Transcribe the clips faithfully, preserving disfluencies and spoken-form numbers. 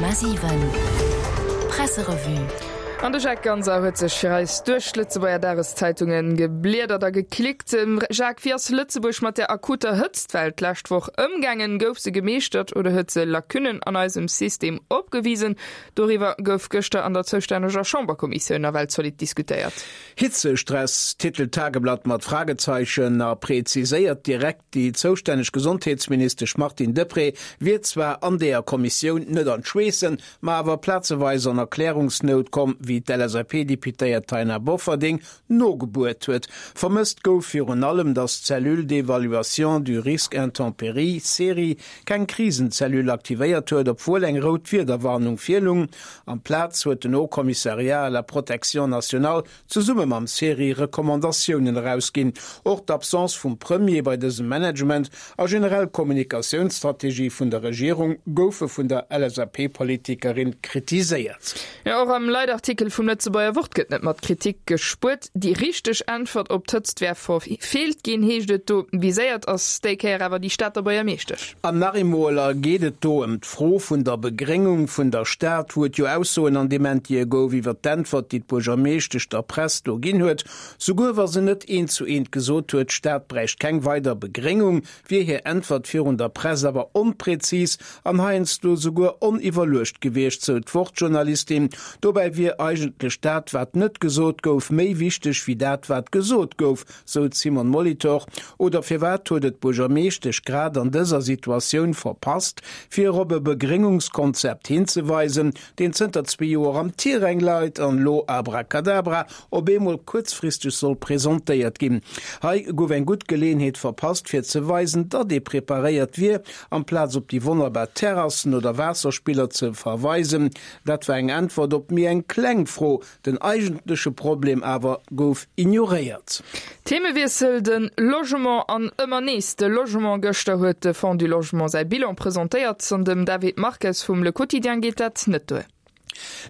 Komma siwen Presserevue. An de Jacques Ganser huet sech fir eis duerch d'Lëtzebuerger Dageszeitungen gebliedert a geklickt. Jacques, wéi ass Lëtzebuerg mat der akuter Hëtztwell d'lescht Woch ëmgaangen? Gouf se gemeeschtert oder huet se Lacunnen an eisem System opgewisen? Doriwwer gouf gëschter an der zoustänneger Chamberkommissioun nawell zolidd diskutéiert. Hitzestress, titelt d'Tageblatt mat Fragezeichen a präziséiert direkt, déi zoustänneg Gesondheetsministesch Martine Deprez wier zwar an deeër Kommissioun net an d'Schweessen, ma awer plazeweis an Erklärungsnout komm, wéi d'LSAP-Deputéiert Taina Bofferding nogebuert huet. Vermësst gouf virun allem, datt d'Cellule d'évaluation du risque intempéries, CERI, keng Krisenzellule aktivéiert huet, obwuel eng rout Wiederwarnung virlung. Amplaz huet den Haut Commissariat à la protection nationale zesumme mam CERI Recommandatiounen erausginn. Och d'Absence vum Premier bei dësem Management a generell d'Kommunikatiounsstrategie vun der Regierung goufe vun der LSAP-Politikerin kritiséiert. Jo, och am Leitartikel vum Lëtzebuerger Wort gëtt net mat Kritik gespuert. Déi richteg Äntwert op d'Hëtzt wär verfeelt ginn, heescht et do. Viséiert ass déi Kéier awer déi Stater Buergermeeschtesch. An nach eemol geet et do ëm d'Fro vun der Begréngung vun der Stad, wou et jo Aussoen an Dementië gouf iwwer d'Äntwert, déi d'Buergermeeschtesch der Press do ginn huet. Souguer wa se net eent zu eent gesot huet, d'Stad bräicht keng weider Begréngung, wier hir Äntwert virun der Press awer onprezis an heiansdo souguer oniwwerluecht gewiescht, sou d'Wort-Journalistin. Dobäi wier eigentlech dat, wat net gesot gouf, méi wichteg wéi dat, wat gesot gouf, sou d'Simone Molitor. Oder firwat huet et d'Buergermeeschtesch grad an dëser Situatioun verpasst, fir op e Begréngungskonzept hinzeweisen, deen zënter zwee Joer am Tiräng leit an elo abracadabra op eemol kuerzfristeg soll presentéiert ginn? Hei gouf eng gutt Geleeënheet verpasst, fir ze weisen, datt ee preparéiert wier, amplaz op déi wonnerbar Terrassen oder Waasserspiller ze verweisen. Dat war eng Äntwert op méi eng kleng Fro, den eigentleche Problem awer gouf ignoréiert. Themewiessel, De Logement an ëmmer nees de Logement. Gëschter huet de Fonds du Logement säi Bilan presentéiert an dem David Marques vum Le Quotidien geet dat net duer.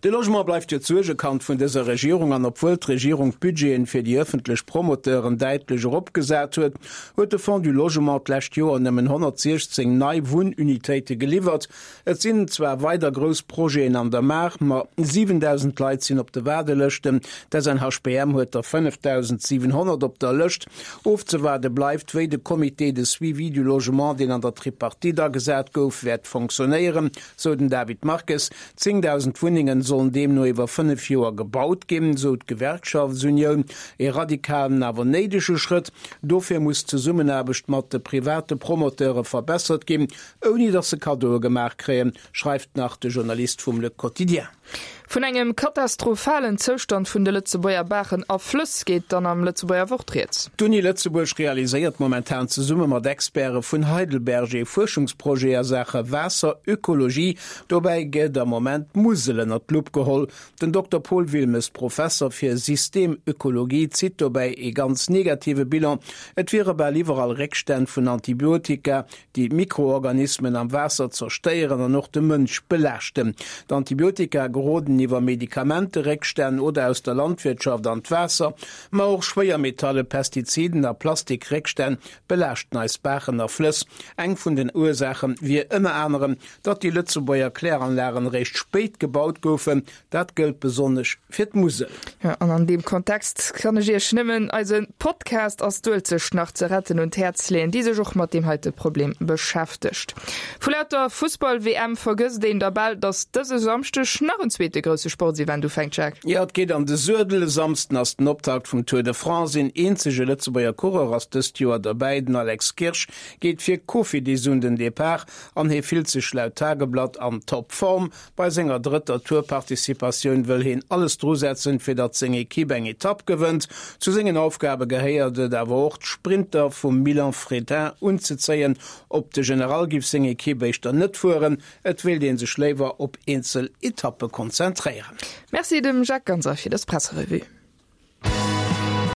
De Logement bleift jo d'Suergekand vun dëser Regierung an obwuel d'Regierung d'Budgeten fir déi ëffentlech Promoteuren däitlech eropgesat huet, huet de Fonds du Logement d'lescht Joer nëmmen honnertsiechzéng nei Wunnunitéite geliwwert. Et sinn zwar weider grouss Projeten an der Maach, ma siwendausend Leit sinn op de Waardelëschten, d'SNHBM huet der fënnefdausendsiwenhonnert op der Lëscht. Ofzewaarde bleift, wéi de Comité de suivi du logement, deen an der Tripartite agesat gouf, wäert fonctionnéieren, sou den David Marques. Zéngdausend Wunnengen sollen deemno iwwer fënnef Joer gebaut ginn, sou d'Gewerkschaftsunioun. Ee radikalen, awer néidege Schrëtt. Dofir muss d'Zesummenaarbecht mat de private Promoteure verbessert ginn, ouni datt se Kaddoe gemaach kréien, schreift nach de Journalist vum Le Quotidien. Vun engem katastrophalen Zoustand vun de Lëtzebuerger Baachen a Flëss geet dann am Lëtzebuerger Wort rieds. D'Uni Lëtzebuerg realiséiert momentan zesumme mat Experte vun Heidelberg ee Fuerschungsprojet a Saache Waasserökologie. Dobäi gëtt am Moment d'Musel ënnert d'Lupp geholl. Den Dokter Paul Wilmes, Professer fir Systemökologie, zitt dobäi ee ganz negative Bilan. Et wiere bal iwwerall Réckstänn vun Antibiotika, déi d'Mikroorganismen am Waasser zerstéieren an och de Mënsch belaaschten. D'Antibiotika geroden iwwer Medikamenteréckstänn oder aus der Landwirtschaft an d'Waasser, ma och Schwéiermetalle, Pestiziden a Plastikréckstänn belaaschten eis Baachen a Flëss. Eng vun den Ursaache wier ënner anerem, datt déi Lëtzebuerger Kläranlagen eréischt spéit gebaut goufen. Dat gëllt besonnesch fir d'Musel. Jo, an an deem Kontext kann ech Iech nëmmen eise Podcast Ass d'Uelzecht nach ze retten un d'Häerz leeën, déi sech och mat deem heite Problem beschäftegt. Vu lauter Fussball-W M vergësst een da bal, datt dëse Samschdeg nach en zweete grousse Sportsevent ufänkt, Jacques. Jo, et geet an de Suedel. E Samsden ass den Optakt vum Tour de France. Een eenzege Lëtzebuerger Coureur ass dëst Joer derbäi, den Alex Kirsch geet fir Cofidis un den Depart an hie fillt sech laut Tageblatt an Toppform. Bei senger drëtter Tour-Participatioun wëll hien alles drusetzen, fir datt seng Ekipp eng Etapp gewënnt. Zu sengen Aufgabe gehéiert et awer och, d'Sprinter vum Milan Fretin unzezéien. Op de General giff seng Ekipp éischter net fueren, et wéilt ee sech léiwer op eenzel Etappe konzentréieren. Merci dem Jacques Ganser fir dës Presserevue.